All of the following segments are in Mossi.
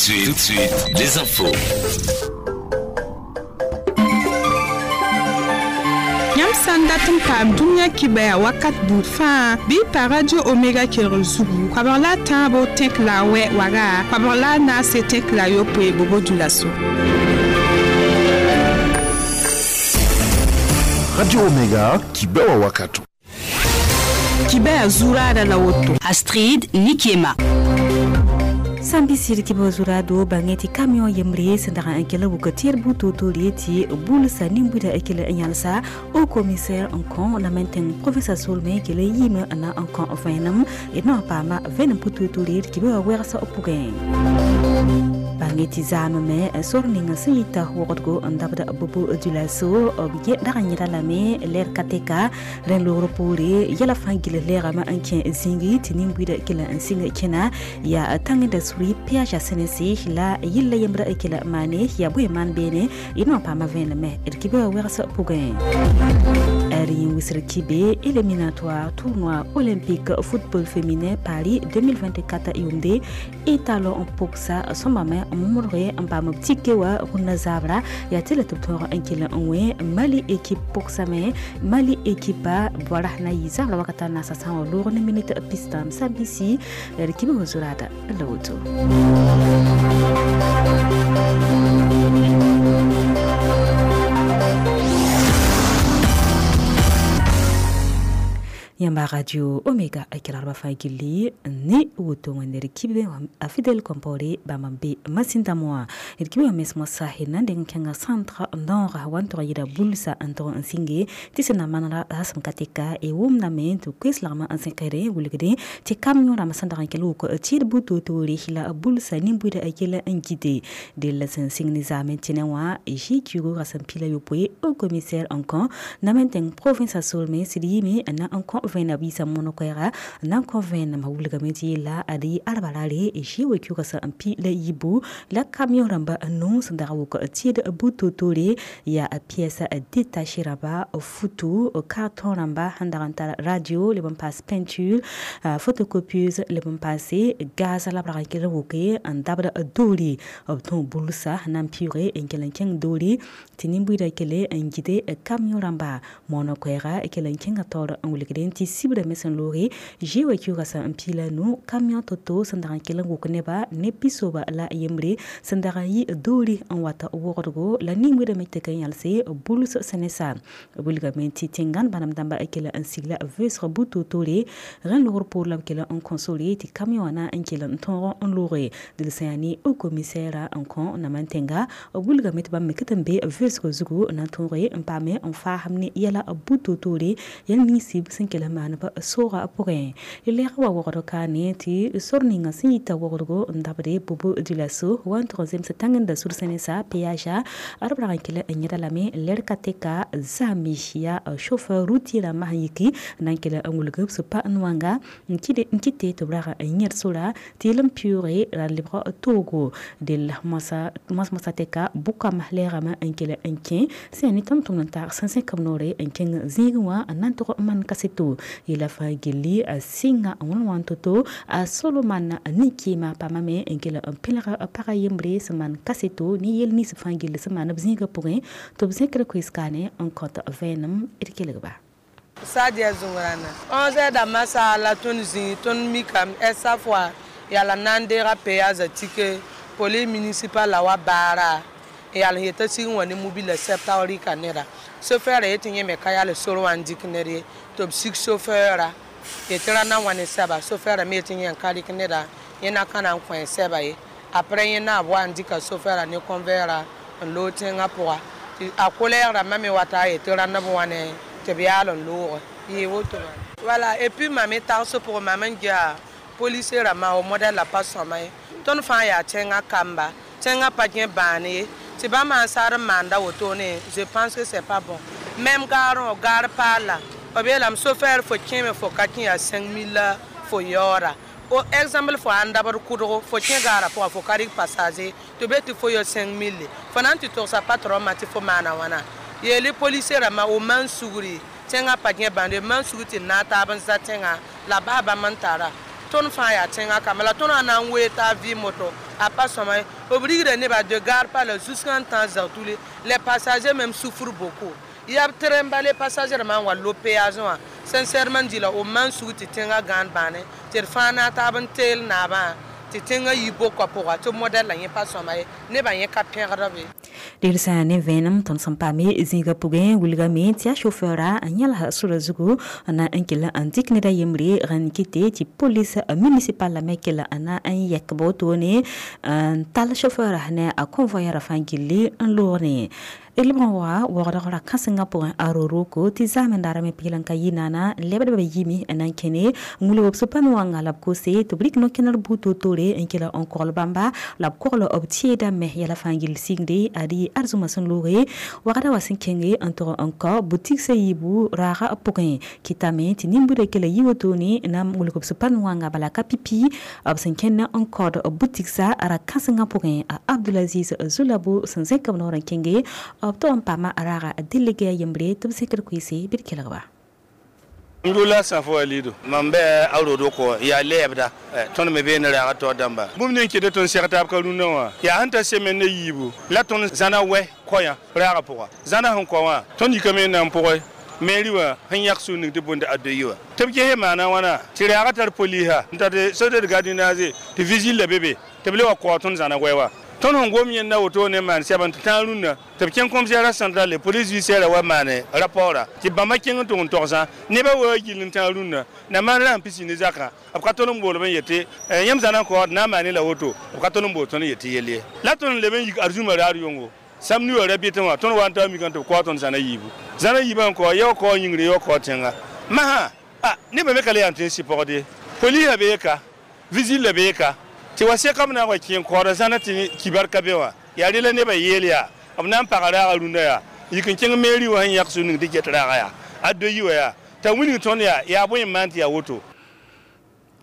Tout de suite, les infos. Yãmb sã n dat n paam dũniyã kibaya wakat buud fãa bɩ y pa Radio Omega kelg zugu koabg la a tãabo tẽk la a wɛ waga koabg la a naase tẽk la a yopoe Bobo-Dioulasso. Radio Omega kibewa wakato. Kibaya zuraada la woto. Astrid Nikiema. Sambi sɩd tɩ b zurado bãngẽ tɩ camion yembre sẽn dag n kell wʋk tɩr bu-toor-toore tɩ bulsa nin-buida kell n yãlsa au commissaire n kõ la mẽn tẽng province solmẽ kell n yiime n na n kõ vẽenem d na n paama vẽenem pʋ-toor-toore tɩ bɩ wa wɛgsa pʋgẽ. Bãngẽ tɩ zaamame sor ning sẽn yita wogdgo n dabd Bobo-Dioulasso b dag n yẽda lame lɛd ka tɛka rẽnd loogr poore yɛla fãa gill lɛɛgame n kẽ zĩigi tɩ nin-buida kell n sɩng kẽna yaa tãngda suri péage a sẽnese la yilla yembra kela maane ya bõe maan beene d na n paama vẽeneme d kɩ bɩ wa wɛgs pʋgẽ. R wisr kibe éliminatoire tournoi olympique football féminin Paris 2024 yʋʋmde étalon n pʋgsa sõmbame n modge n paam b tike wã rũnnã zabra yaa tɩ la tɩ b tõog n kell n wẽ Mali équipe pʋgsame Mali équipe bɔra na yɩ zabra wakata naasa sã n wa loog ne minute pistãam sã-bisi d kɩ bɩ wa zuraada la woto. Yãmba Radio Omega a kelgrba fãa gilli ne woto wẽnde d kibe a Fidel Compaoré bãmb n be masĩndame wã d kibe wã mes moasã d na n deng kẽnga centre nord wa n tog yɩɩda bulsa n tog n sĩnge tɩ sẽn na manega a sẽn ka tɛka y wʋmdame tɩ koes lagmã n zẽkre wilgdẽ tɩ camion rãmb sẽn dag n kell wʋk tɩɩd bu-toor-toore la bulsa nin-buida a kell n gite dell sẽn sɩng ne zaamẽ tẽnẽ wã GQ ra sẽn pila yopoe au commissaire n kõ na me tẽng province a solmẽ sɩd yɩme n na n kõ vẽenam biisã mono-koɛɛga n na n kõ vẽenem wilgame tɩ yella ad yɩ arba raare GWQ sẽn n pi la yibu la camion rãmba n sẽn dag wʋk tɩɩd bu-toor-toore yaa pièce détaché rãmba futu carton rãmba sẽn dag n tar radio leb n paas peinture photocopieuse leb n paase gaz la b rag n kell n wʋke n dabd doore b tõog bulsa n na n pɩʋʋge n kell n kẽng doore tɩ nin-buiidã kele n gide camion rãmba mono-koɛɛga kell n kẽnga taoor n wilgdẽ tɩ sibra me sẽn looge GWQ sẽn n piila nu camion to-to sẽn dag n kell n wʋk neba ne pisoba la yembre sẽn dag n yɩ doore n wat wogdgo la nin-buiidã me tɩk n yãlse buls sẽnesa wilgame tɩ tẽngan bãmb dãmba kell n sigla vʋʋsg bu-toor-toore rẽnd loogr poor la b kell n kõ sore tɩ camion wã na n kell n tõog n looge dɩl sẽn yaa ne au commissaire n kõ nam n tẽnga b wilgame tɩ bãmb me ket n be vʋʋsg zugu n na n tõoge n paame n faasem ne yɛla bu-toor-toore yɛl nins sẽn kell n maan b soogã pʋgẽ. Lɛɛg wa wogd kaane tɩ sor ninga sẽn yita wogdgo n dabde Bobo-Dioulasso wa n tʋg n zems tãngenda sur sẽnesa péage ad b rag n kell n yẽda lame lɛd ka tɛka zame yaa chauffeur routier rãmbã sẽn yiki n na n kell n wilg b sẽn pa n wãnga n kɩte tɩ b rag n yẽd sora tɩ yel n pɩʋʋge ra lebg toogo dell moas-moasã tɛka bʋkam lɛɛgame n kell n kẽ sẽn yaa ne tʋm-tʋmd n taag sẽn zẽk b noore n kẽng zĩigẽ wã n na n tʋg n maan kaseto yela fãa gilli a sɩnga n wãn wãn to-to a Solomon nin-kɩɩmã paamame n kell n pẽlg pag yembre sẽn maan kaseto ne yel nins fãa gill sẽn maan b zĩigã pʋgẽ tɩ b zẽkr koees-kaane n kõt vẽenem d kelgba. Sadia zũngrãna 11 dãmbã saala tõnd zĩig tõnd mikame esa fʋa yaa la na n deega péage tike police municipal la wa baara n yaa n yeta sig n wa ne mobila sɛb rɩka neda chauffeur yetɩ yẽ me ka yaa sor wã n dɩk ned ye tɩ b sig chauffeura yetɩ ra na wã ne sɛba chauffeura me yetɩ yẽ n ka rɩk neda yẽ na ka na n kõ sɛba ye après yẽ na b wa n dɩka chauffeura ne convoyeur n loog tẽngã pʋga tɩ a colère rãmbã me wata a yetɩ rãnd b wã ne tɩ b yaal n looge yɩ woto voilà. Et puis mam tags pʋgẽ mam n gea policier rãmbã o modɛl la pa sõma ye tõnd fãa yaa tẽngã kamba tẽngã pa kẽ bãan ye tɩ bãmb sã n saad n maanda wotone je pense que c'est pas bon. Même gaarẽ gaar paala b yeelame chauffeur fo kẽeme fo ka kẽ yaa 5000 la fo yaoora o exemple fo ãn dabd kʋdgo fo kẽ gaarã pʋga fo ka rɩk passager tɩ be tɩ fo yɔ 5000 fo na n tɩ togsa patron ma tɩ fo maana wãna yeeli policier rãmbã o maan sugri tẽngã pa kẽ bãnde maan sugr tɩ naag taab n za tẽngã la bas bãmb n tara Tõnd fãa yaa tẽngã kamba la tõnd na n wee t'a vɩɩm woto a pa sõma ye. B rigda nebã de gare pa la jusqu'à n tã Zagtouli. Les passagers même souffrent beaucoup. Yaa b train ba les passagers rãmbã n wa lob péage wã. Sincèrement dit la b maan sug tɩ tẽngã gãan bãane tɩ d fãa na n taab n teel naabã tɩ tẽngã yi bokã pʋga tɩ modɛl la yẽ pa sõma ye, nebã yẽ ka pẽgd be. Dɩl sã ne vẽenem tõnd sẽn paame zĩigã pʋgẽ wilgame tɩ yaa chauffeura n yãls sora zugu n na n kell n dɩk ned a yembre rãnd kɩte tɩ police municipal la me kell n na n yɛk ba wotone n tall chauffeura ne a convoyeur fãa gilli n loog ne. D lebg n wa waoogdg ra kãsengã pʋgẽ a ro-roko tɩ zaamendara me pɩɩl n ka yɩ naana lebdbã yimi n na n kẽne n wilg b sũ-pãn wãnga la b kose tɩ b rɩk no-kẽner buud toor-toore n kell n kogl bãmba la b kogl b tẽedã me yɛla fãa gill sɩngde ad yɩ arzũmã sẽn looge wagda wa sẽn kẽnge n tog n kao butigsã yiibu raaga pʋgẽ kɩtame tɩ nin-buudã kell yi wotone n na n wilg b sũ-pãn wãnga bala ka pipi b sẽn kẽnd n kaood butigsã ra kãsengã pʋgẽ. A Abdulaziz Zulabo sẽn zẽk b noor n kẽnge b tog n paama raaga délégué a yembre tɩ b zẽkd koeese bɩ d kelgba. Ndula safo alidu mam bɛ a rodo ko ya lɛɛbda tõnd me beene raaga taoor dãmba bũmb ning kɩtɩ tõnd seg taab ka rũndã wã yaa sẽn ta seme ne yiibu la tõnd zãna wɛ koyã raagã pʋga zãna sẽn kɔ wã tõnd yikame n na n pʋgẽ meri wã sẽn yãk sũur ning tɩ bõnde a doyi wã tɩ b gese maana wãna tɩ raaga tar polisa n tar société de gardiennage tɩ vigile la be be tɩ b le wa kao tõnd zãna wɛ wa. Tõnd sẽn gom yẽnda woto ne maan sɛb n tɩ tãag rũndã tɩ b kẽng commissaire central le police judiciaire wa maane rapporta tɩ bãmba kẽng n tʋg n togsã nebã wa gill n tãag rũndã na maan ra sẽn pisi ne zakã b ka tõnd n boolb n yetɩ yãmb zãna n kaood na n maane la woto b ka tõnd n bool tõnd n yetɩ yell ye la tõnd n leb n yik arzũmã raar yʋngo sam nu ra bɩtẽ wã tõnd wa n taa mikã tɩ b kao tõnd zãna yiibu zãna yiibã n kao ya wa kao yĩngre ya wa kao tẽnga masã a nebã me ka le yaa n tõe n sɩ pɔgd ye polisa bee ka vigile la bee ka tɩ wa sekame na n wa kẽ n kaooda zãna tɩ kibar ka be wã yaa rela nebã yeel yaa b na n paga raaga rũndã yaa yik n kẽng meri wã sẽn yãk sũ ning tɩ get raaga yaa a doyi wã yaa t'a wilg tõnd yaa yaa bõe n maan tɩ yaa woto.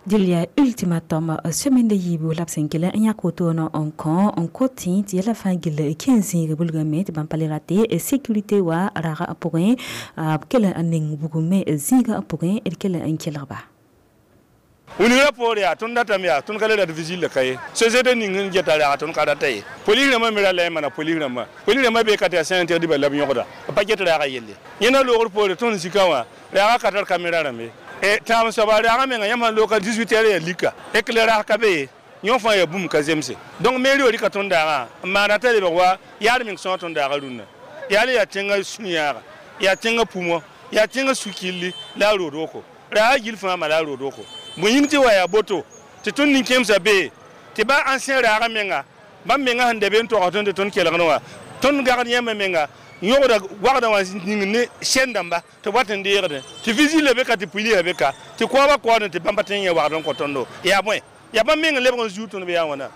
Dɩl yaa ultimatum semaine yiibu la b sẽn kell n yãk wotoone n kõ n kot tẽ tɩ yɛla fãa gill kẽ zĩig bulgame tɩ bãmb pa le rate sécurité wa raaga pʋgẽ b kell n ning bugum me zĩigã pʋgẽ d kell n kelgba. Wilgra poore yaa tõnd datame yaa tõnd ka le rat vigile la ka ye société ning n geta raaga tõnd ka rata ye polis rãmbã me ra la n maana polis rãmbã polis rãmbã bee ka tɩ yaa sã n tɩg dɩba la b yõgda b pa get raaga yelle yẽnda loogr poore tõnd zikã wã raaga ka tar caméra rãmbe tãam soaba raaga menga yãmb sãn looka 18 heures yaa lika éclairage ka be ye yõ fãa yaa bũmb ka zemse donc meri wã rɩka tõnd daagã n maana t'a lebg wa yaad meng sõa tõnd daaga rũnnã yaa le yaa tẽngã sũ-yãaga yaa tẽngã pumɔ yaa tẽngã su-killi la a rood-woko raaga gill fãa ma la a rood-woko bõe yĩng tɩ wa yaa boto tɩ tõnd nin-kẽemsã bee tɩ ba ancien raaga menga bãmb menga sẽn da be n togs tõnd tɩ tõnd kelgd wã tõnd gagd yãmbã menga yõgda wagdã wã ning ne sɛn dãmba tɩ wat n deegdẽ tɩ vigile be ka tɩ pulisa be ka tɩ koabã kaoodẽ tɩ bãmba tõe n yẽ wagd n kõ tõndo yaa bõe yaa bãmb meng n lebg n zuud tõnd bɩ yaa wãna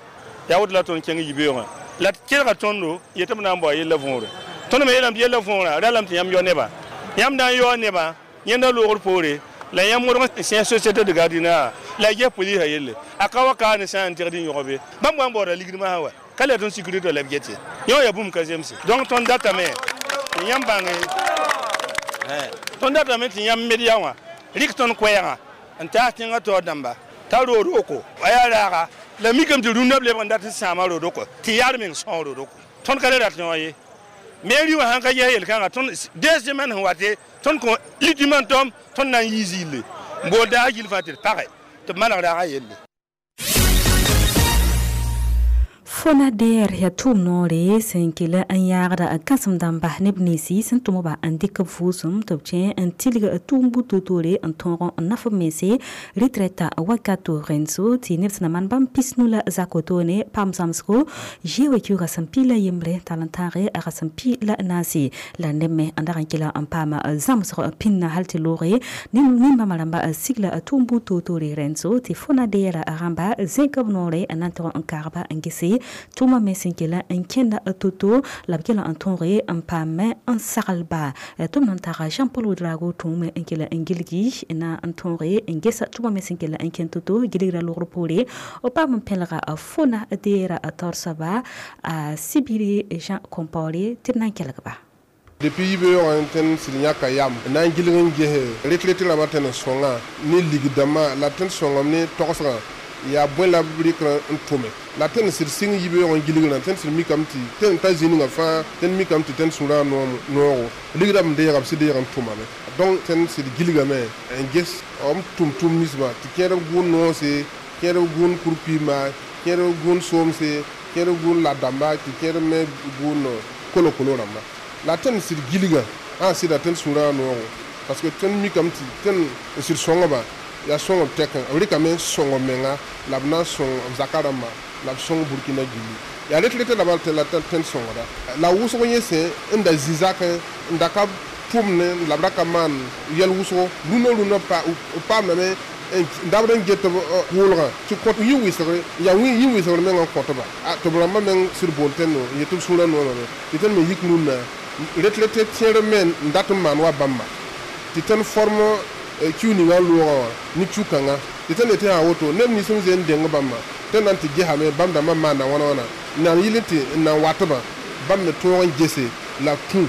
yaa woto la tõnd kẽng yibeoogã la d kelga tõndo yetɩ b na n bao yella võore tõnd me yeelame tɩ yella võorã ralame tɩ yãmb yao nebã yãmb na n yaoa nebã yẽnda loogr poore la yãmb modg n sẽs société de gardiennage la y ges polisa yelle a ka wa kaa ne sã n tɩgd n yõg be bãmb wa n baooda ligd masã wa ka le tõnd sécurité la b get ye yõ yaa bũmb ka zemse donc tõnd datame tɩ yãmb bãnge tõnd datame tɩ yãmb media wã rɩk tõnd koɛɛgã n taas tẽngã taoor dãmba t'a rood-woko a yaa raaga la mikame tɩ rũndã b lebg n dat n sãama rood-woko tɩ yaad meng sõo rood-woko tõnd ka le rat yõ ye meri wã sãn ka ges yel-kãngã tõnd deux semaines sẽn wate tõnd kõ ultimatum tõnd na n yii zĩille n bool daag gill fãa tɩ d page tɩ b maneg raaga yelle. FONADER yaa tʋʋm noore sẽn kell n yaagda kãsem dãmba neb ninsi sẽn tʋm-ba n dɩk b vʋʋsem tɩ b kẽ n tilg tʋʋm bud toor-toore n tõog n naf b mense retraite wakato rẽndso tɩ neb sẽn na maan bãmb pisnu la zak wotone paam zãmsgo zeoe kiuugã sẽn pi la yembre tall n tãage a sẽn pi la naase la neb me n dag n kela n paam zãmsg pĩnna hal tɩ looge nin-bãmba rãmba sigla tʋʋm bud toor-toore rẽndso tɩ FONADER rãmba zẽk b noore n na n tog n kaagba n gese tʋʋmã me sẽn kela n kẽnda to-to la b kela n tõoge n paame n saglba tɩ b na n taga Jean Paul Ouedraogo tũume n kela n gilgi na n tõoge n gesa tʋʋmã me sẽn kela n kẽnd to-to gilgra logr poore b paam n pẽlga FONADER taoor soaba a Sibiri Jean Compaoré tɩ b na n kelgba. Depuis yibe yõg tõnd sɩd yãka yam n na n gilg n ges retraite rãmbã tõnd n sõnga ne ligd-dãmbã la tõnd sõngame ne togsgã yaa bõe la b rɩkr n tʋme la tõnd sɩd sɩng yibe-yaoog n gilgrã tõnd sɩd mikame tɩ tõnd ta zĩ ninga fãa tõnd mikame tɩ tõnd sũurã noogo ligdã b deega b sɩd deeg n tʋmame donc tõnd sɩd gilgame n ges b tʋm tʋm ninsbã tɩ kẽerb gʋʋn noose kẽerb gʋʋn kurkuimã kẽerb gʋʋn soomse kẽerb gʋʋn la-dãmba tɩ kẽerb me gʋʋn kolo-kolo rãmba la tõnd sɩd gilga ã sɩda tõnd sũurã noogo parce que tõnd mikame tɩ tõnd n sɩd sõngba yaa sõng b tɛkẽ b rɩkame n sõng b menga la b na n sõng b zaka rãmba la b sõng Burkina gilli yaa retraite la bal tɩ la tõnd sõngda la wʋsg yẽsẽ n da zĩ zakẽ n da ka tʋmne la b ra ka maan yɛl wʋsgo rũnã rũnã b paamdame n dabd n get b wʋʋlgã tɩ kõt yĩ wɩsgre yaa yĩ wɩsgr meng n kõtba tɩ b rãmbã meng sɩd bool tõndo n yet b sũurã noomame tɩ tõnd me yik rũnnã retraite tẽer me n dat n maan wa bãmba tɩ tõnd form kiu ninga loogã wã ne kiu-kãngã tɩ tõnd yetɩ sã woto neb nins n zoe n deng bãmba tõnd na n tɩ gesame bãmb dãmbã maanda wãna wãna n na n yɩl tɩ n na n watbã bãmb me tõog n gese la b tũ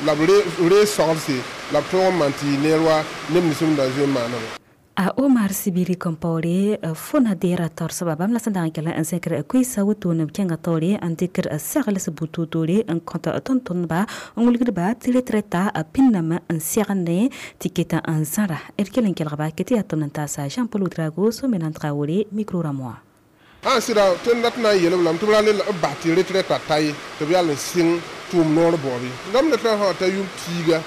la b reeg soglse la b tõog n maan tɩ yɩ neer wa neb nins n da zoe n maaname. A Omar Sibiri Compaoré fona dera torsba bãmb la sẽn dag n kell n zẽkr koeesa wotone b kẽnga taoore n dɩkr sagls butotoore n kõt tõnd-tõndba n wilgdba tɩ retraita pĩnname n segende tɩ keta n zãra d kell n kelgba ke tɩ yaa tʋm n taasa Jean Paul Ouedraogo so-menant Traoré micro rãmb wã. Ã sɩda tõnd dat na n yeelb lame tɩ b ra le b bas tɩ retraita ta ye tɩ b yaa n sɩng tʋʋm noor baoob rãmb retraite sã t'a yʋm piiga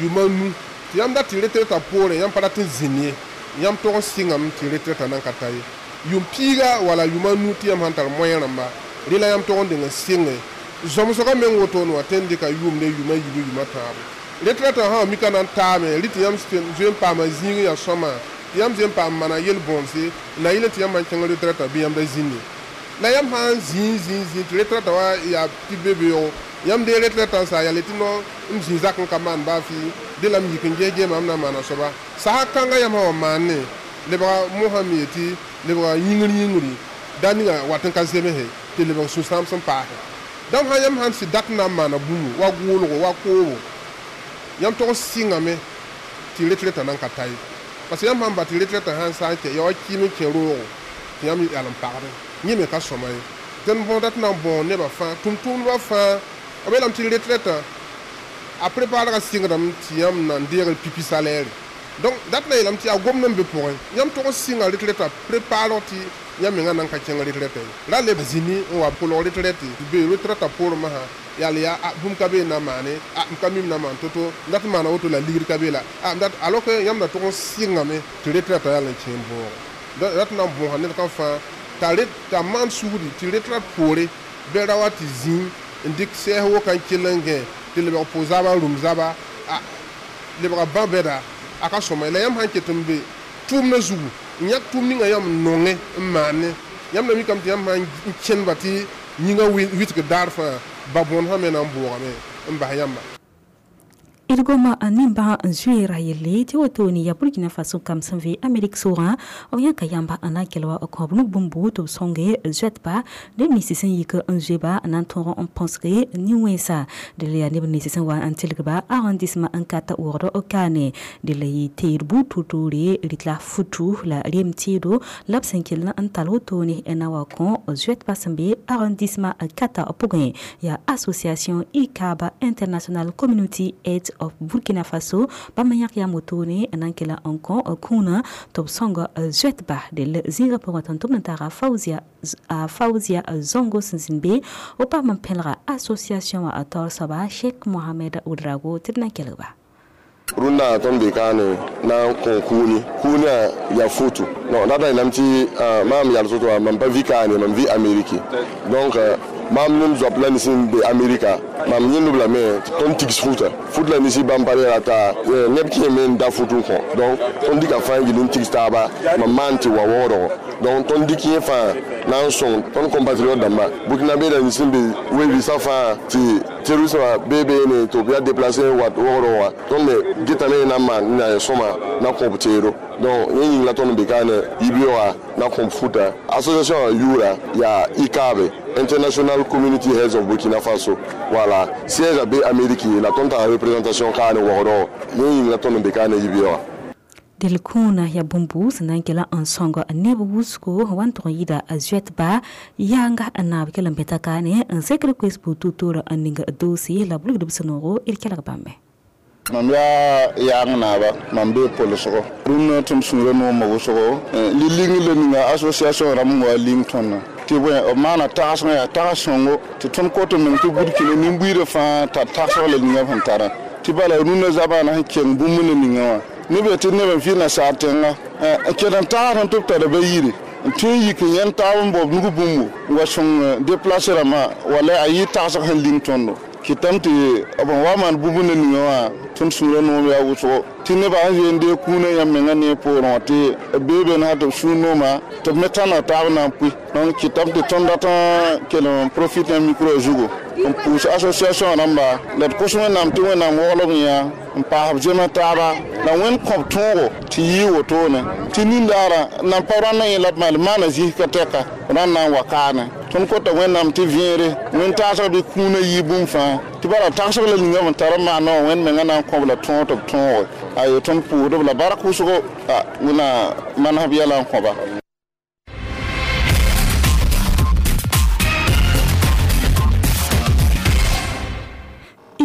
yʋma nu tɩ yãmb dat tɩ retraita poorẽ yãmb pa rat n zĩnd ye yãmb tog n sɩngame tɩ retraita nan ka ta ye yʋm piiga wala yʋma nu tɩ yãmb sãn tar moyen rãmba rẽ la yãmb tog n deng n sɩnge zõmsgã meng wotone wã tõnd dɩka yʋʋm ne yʋma yiib yʋma tãabo retraita sã mika na n taame rɩ tɩ yãmb zoe n paama zĩig yaa sõma tɩ yãmb zoe n paam maana yel-bõonse na yɩl tɩ yãmb sãn kẽng retraita bɩ yãmb da zĩnde la yãmb sã n zĩig zĩig zĩig tɩ retraita wa yaa tɩ be beoogo yãmb dee retraita n saa yaa le tɩ no m zĩ zak n ka maan baa fɩ de la m yik n ges geema m na n maana soaba sasa kãngã yãmb sã wa maane lebga mosã me yetɩ lebga yĩngr yĩngri da ninga wat n ka zemse tɩ lebg sũ-sãam sẽn paase dãmb sã yãmb sãn sɩd dat n na n maana bũmbu wa gʋʋlgo wa koobo yãmb tog n sɩngame tɩ retraita nan ka ta ye parce que yãmb sãn ba tɩ retraita sãn sa n kɛ ya wa kɩɩm n kẽ roogo tɩ yãmb yal n pagdẽ yẽ me ka sõma ye tõnd võoda tɩ na n bõo nebã fãa tʋm-tʋmdbã fãa b yeelame tɩ retraita a préparega sɩngdame tɩ yãmb na n deegr pipi salaire donc dat na yeelame tɩ yaa gomd n be pʋgẽ yãmb tog n sɩnga retraita préparg tɩ yãmb mengã nan ka kẽng retraite ye ra le zĩni n wa kolg retraite be retraita poorẽ masã yaa yaa a bũmb ka be n na maane a m ka mim na maan to-to n dat n maana woto la ligd ka be la a dat alors que yãmb da tog n sɩngame tɩ retraita yaa n kẽ bõogo dat na n bõosa ned kam fãa t'a maan sugri tɩ retraite poore bɩ ra wa tɩ zĩig n dɩk sɛɛs woka n kell n gẽ tɩ lebg pʋ zaba rũm zaba a lebga bã bɛda a ka sõma la yãmb sãn ket n be tʋʋmdã zugu n yãk tʋʋm ninga yãmb n nonge n maane yãmb na mikame tɩ yãmb sãn n kẽndba tɩ yĩngã wɩtg daar fãa ba bõond sã me na n bʋʋgame n bas yãmba. D goma nimbã n zoeera yelle tɩ wotone yaa Burkina Faso kam sẽn vɩ Amerik soogã b yãka yãmba n na n kell wa kõb nug bũmbu tɩ b sõnge zoɛtba neb nins sẽn yik n zoe-ba n na n tõog n põsge nin-wẽnsa dɩl yaa neb nins sẽn wa n tilgba arrondissement n ka ta wogd kaane dɩl yɩ teed buud toor-toore rɩt la futu la rem tɩɩdo la b sẽn kell n tall wotone n na wa kõ zoɛtba sẽn be arrondissement kata pʋgẽ yaa association ICAB International Community Aid of Burkina Faso bãmb n yãk yam wotone n na n kela n kõ kũunã tɩ b sõng zoɛtba dell zĩigã pʋgẽ tõnd tʋmd n taga Fauzia Zongo sẽn zĩnd be b paam n pẽlga association wã taoor soaba Sheikh Mohamed Ouedraogo tɩ d na n kelgba. Rũndã tõnd be kaane na n kõ kũuni kũunã yaa foto non dat na yeelame tɩ maam yals woto wã mam pa vɩ kaane mam vɩ Ameriki donc maam nem zoap la nins n be Amerika mam yẽndb lame tɩ tõnd tigs futa fut la nisi bãmb pa reera t'a neb kẽeme n da fut n kõ donc tõnd dɩka fãa n gil n tigs taaba mam maan tɩ wa waoodgo Donc tõnd dɩk yẽ fãa na n sõng tõnd compatriote dãmba burkinabé la nins sẽn be we-biisã fãa tɩ terrorisme bee beene tɩ b yaa déplacé n wat wogdg wã tõnd me getame na n maan na sõma na kõ b teedo. Donc yẽ yĩng la tõnd n be kaane yibeoogã na kõ b futa. Association wã yʋʋra yaa ICAB, International Community Heads of Burkina Faso. Voilà, siège a be Amérique la tõnd tara représentation kaane wogdg. Yẽ yĩng la tõnd n be kaane yibeoogã. Delkũunã yaa bũmb sẽn na n kela n sõng neb wʋsgo wa n tʋg n yɩɩda a zoɛtba yaanga n naab kell n bẽta kaane n zekr koes buud-tutoor n ning doose la b wilgd b sũ-noogo d kelg bãmbe. Mam yaa yaang naaba, mam bee pʋlsgo rũnnã tɩ m sũurã noomã wʋsgo li-ling le ninga association rãmb n wa ling tõndã tɩ bõe b maana tagsgã yaa tags sõngo tɩ tõnd kot n meng tɩ burkina nin-buiidã fãa tar tagsg la ninga sẽn tarã tɩ bala rũnnã zabaana sẽn keng bũmb ne ninga wã neb yaa tɩ neb n vɩ nasaar tẽnga n ket n tags n tɩ b tara ba yiri n tõe n yik n yẽnd taab n baoob nug bũmbo n wa sõng déplacé rãmbã wala a yɩ tagsg sẽn ling tõndo kɩtame tɩ b n wa maan bũmb ne ninga wã tõnd sũurã noom yaa wʋsgo tɩ nebã sẽn zoe n deeg kũunã yãmb mengã ne poorẽ wã tɩ b bee be sã tɩ b sũur nooma tɩ b me tãneg taab na n pʋɩ. Donc kɩtame tɩ tõnd dat n kell n profite n micro zugu n pʋʋs association rãmba la d kos Wẽnnaam tɩ Wẽnnaam waglb yã n paas b zemã taaba la Wẽnd kõb tõogo tɩ yɩɩ wotone tɩ nindaarã nan pa rãndã yẽ la b maal maana zis ka tɛka rãnd na n wa kaane. Tõnd kota Wẽnnaam tɩ vẽere wẽn taasg bɩ kũunã yɩ bũmb fãa tɩ bala tagsg la ninga b tar n maana wã Wẽnd mengã na n kõb la tõog tɩ b tõoge ayo tõnd pʋʋsdb la bark wʋsgo Wẽnna manesb yɛla n kõba.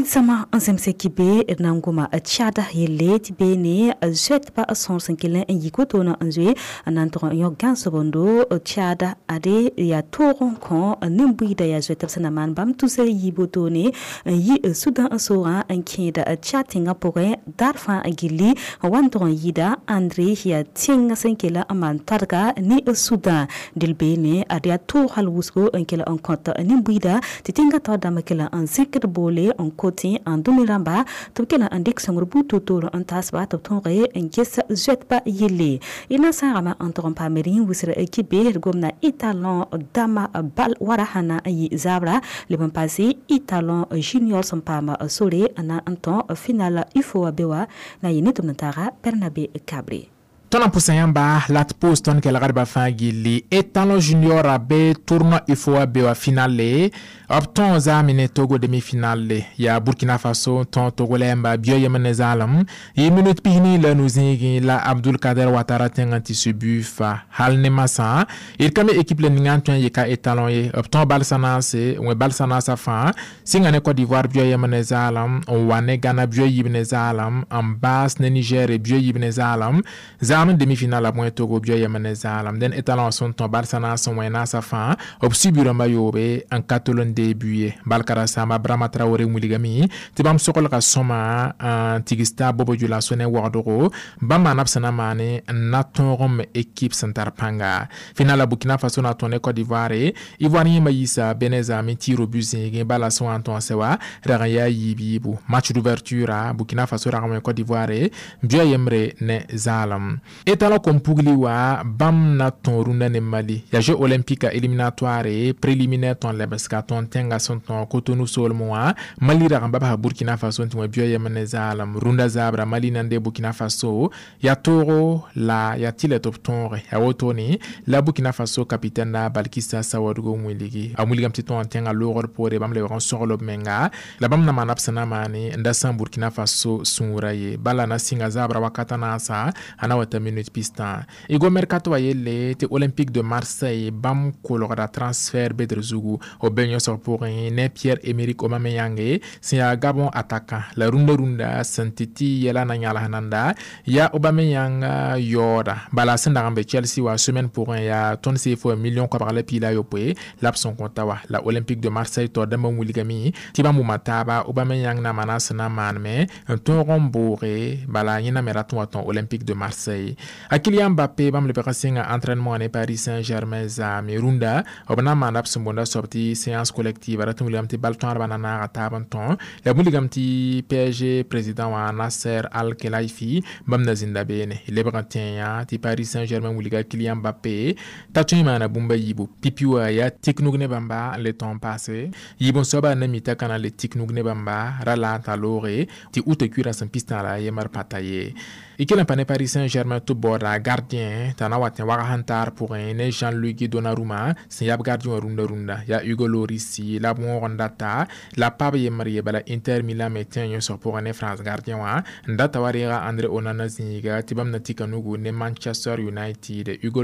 Sama n zemse kibe d na n goma Tchad yelle tɩ beene zoɛtba sõor sẽn kell n yik wotone n zoe n na n tʋg n yõk gãnsobondo Tchad ade yaa toog n kõ nin-buiida yaa zoɛtb sẽn na maan bãmb tusr yiib wotone n yi Sudan n soogã n kẽeda Tchad tẽngã pʋgẽ daar fãa gilli n wa n tʋg n yɩɩda Andre yaa tẽng sẽn kell n maan tadga ne Sudan del beene ad yaa toog hal wʋsgo n kell n kõt nin-buiida tɩ tẽngã taoor dãmb kell n zẽkd boole n kot n dũni rãmba tɩ b kell n dɩk sõngr buud toor-toor n taasba tɩ b tõoge n ges zoɛtba yelle. Y na sãagame n tʋg n paam rĩ wʋsr kibe d gomna étalon dama bal wara sã na n yɩ zaabra leb n paase étalon junior sẽn paam sore n na n tõ final UFOA be wa na yɩ ne tɩ b na taaga Bernabe Kabre. Tõnd n pʋsa yãmba la d pʋʋs tõnd kelgdbã fãa gilli étalon junior a be tournoi UFOA be wa finale b tõo zaame ne Togo demi-finale yaa Burkina Faso tõo Togo la yãmba bio yem ne zaalem yɩ minute pisni la nu-zĩigẽ la Abdul Kader Watara tẽngã tɩ su fa hal ne masã d ka me équipe la ninga n tõe n yɩ ka étalon ye b tõo balsã naase wẽ balsã naasã fãa sɩnga ne Côte d'Ivoire bio yem ne zaalem n wa ne Ghana bio yiib ne zaalem n baas ne Niger bio yiib ne zaalem zaam demi-finale a bõe Togo bio yem ne zaalem dẽn étalon sẽn tõ balsã naas n wẽ naasã fãa b sibirãmbã yoobe n ka tol n début ye balkara sama Brahma Traoré wilgame tɩ bãmb soglga sõma n tigsta bobo dioulasso ne wagdgo bãmb maana b sẽn na maane n na tõog m équipe sẽn tar pãnga finala Burkina Faso na tõe ne Côte d'Ivoire Ivoire yẽmba yiisa Benin zaame tɩ ro bu zẽegẽ bala sẽn wa n tõase wa rag n yaa yiib yiibu match d'ouverture a Burkina Faso rag n wẽ Côte d'Ivoire bia yembre ne zaalem étalon kom-pugli wa bãmb na tõo rũndã ne Mali yaa jeux olympique éliminatoire préliminaire tõn lebsga tõn tẽnga sẽn tõ Cotonou soolmẽ wã Mali rag n babsa Burkina Faso n tɩ wẽ bia yem ne zaalem rũndã zaabra Mali na n dee Burkina Faso yaa toogo la yaa tɩ la tɩ b tõoge yaa wotone la Burkina Faso capitaine la Balkissa Sawadogo wilgi a wilgame tɩ tõa n tẽngã loogr poore bãmb lebg n sogl b menga la bãmb na maana b sẽn na maane n da sãam Burkina Faso sũurã ye bala na sɩnga zaabra wakata naasa a na wa ta minute pistã y mercato a yelle tɩ Olympique de Marseille bãmb kolgda transfert bedr zugu b be yõsg pʋgẽ ne Pierre-Emerick Aubameyang sẽn yaa Gabon attaquant la rũndã rũndã sẽn tɩ tɩ yɛla na yãls nanda yaa Aubameyang yaooda bala sẽn dag n be Chelsea wa semaine pʋgẽ yaa tõnd CFA million koabg la piig la a yopoe la b sẽn kõta wa la Olympique de Marseille taoor dãmbã wilgame tɩ bãmb wʋma taaba Aubameyang na maana sẽn na maanme n tõog n booge bala yẽna me rat n wa tõ Olympique de Marseille. ye. A Kylian Mbappé bãmb lebg n sɩnga entraînement ne Paris Saint-Germain zaame rũndã b na n maanda b sẽn boonda soab tɩ séance collective ra tɩ wilgame tɩ bal tõadbã na naaga taab n tõ la wilgame tɩ PSG président wã Nasser Al Khelaifi bãmb na zĩnda beene lebg n tẽe tɩ Paris Saint-Germain wilga Kylian Mbappé t'a tõe n maana bũmb a yiibu pipi wã yaa tik nug ne bãmba n le tõog n paase yiib n soaba na mi t'a ka na n le tik nug ne bãmba ra la n ta looge tɩ uta kuirã sẽn pistã la yembr pata ye. Y kell n pa ne Paris Saint-Germain tɩ b baooda gardien t'a na wat n wag sẽn taar pʋgẽ ne Jean-Luc Donnarumma sẽn yaa b gardien wã rũndã rũndã yaa Hugo Lloris la b wõog n data la pa b yembr ye bala Inter Milan me tẽ yõsg pʋgẽ ne France gardien wã n data wa reega André Onana zĩiga tɩ bãmb na tika nugu ne Manchester United Hugo.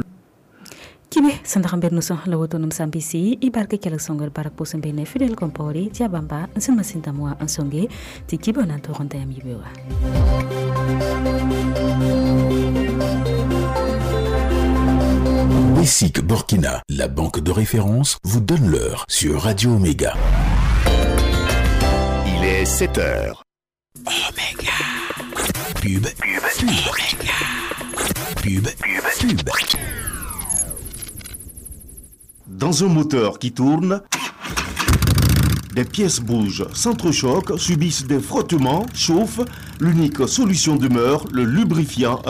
Kibe sẽn dag n be nusã la woto nem sã n bɩsi y bark kelg sõngr bark pʋsẽ be ne Fidel Compaoré tɩ yaa bãmba n sẽn masĩn dãmb wã n sõnge tɩ kibã na n tog n ta yãmb yibe wã. BSIC Burkina, la banque de référence, vous donne l'heure sur Radio Omega. Il est 7 heures. Omega. Pub, pub, pub. Omega. Pub, pub, pub. Dans un moteur qui tourne, des pièces bougent, s'entrechoquent, subissent des frottements, chauffent. L'unique solution demeure le lubrifiant.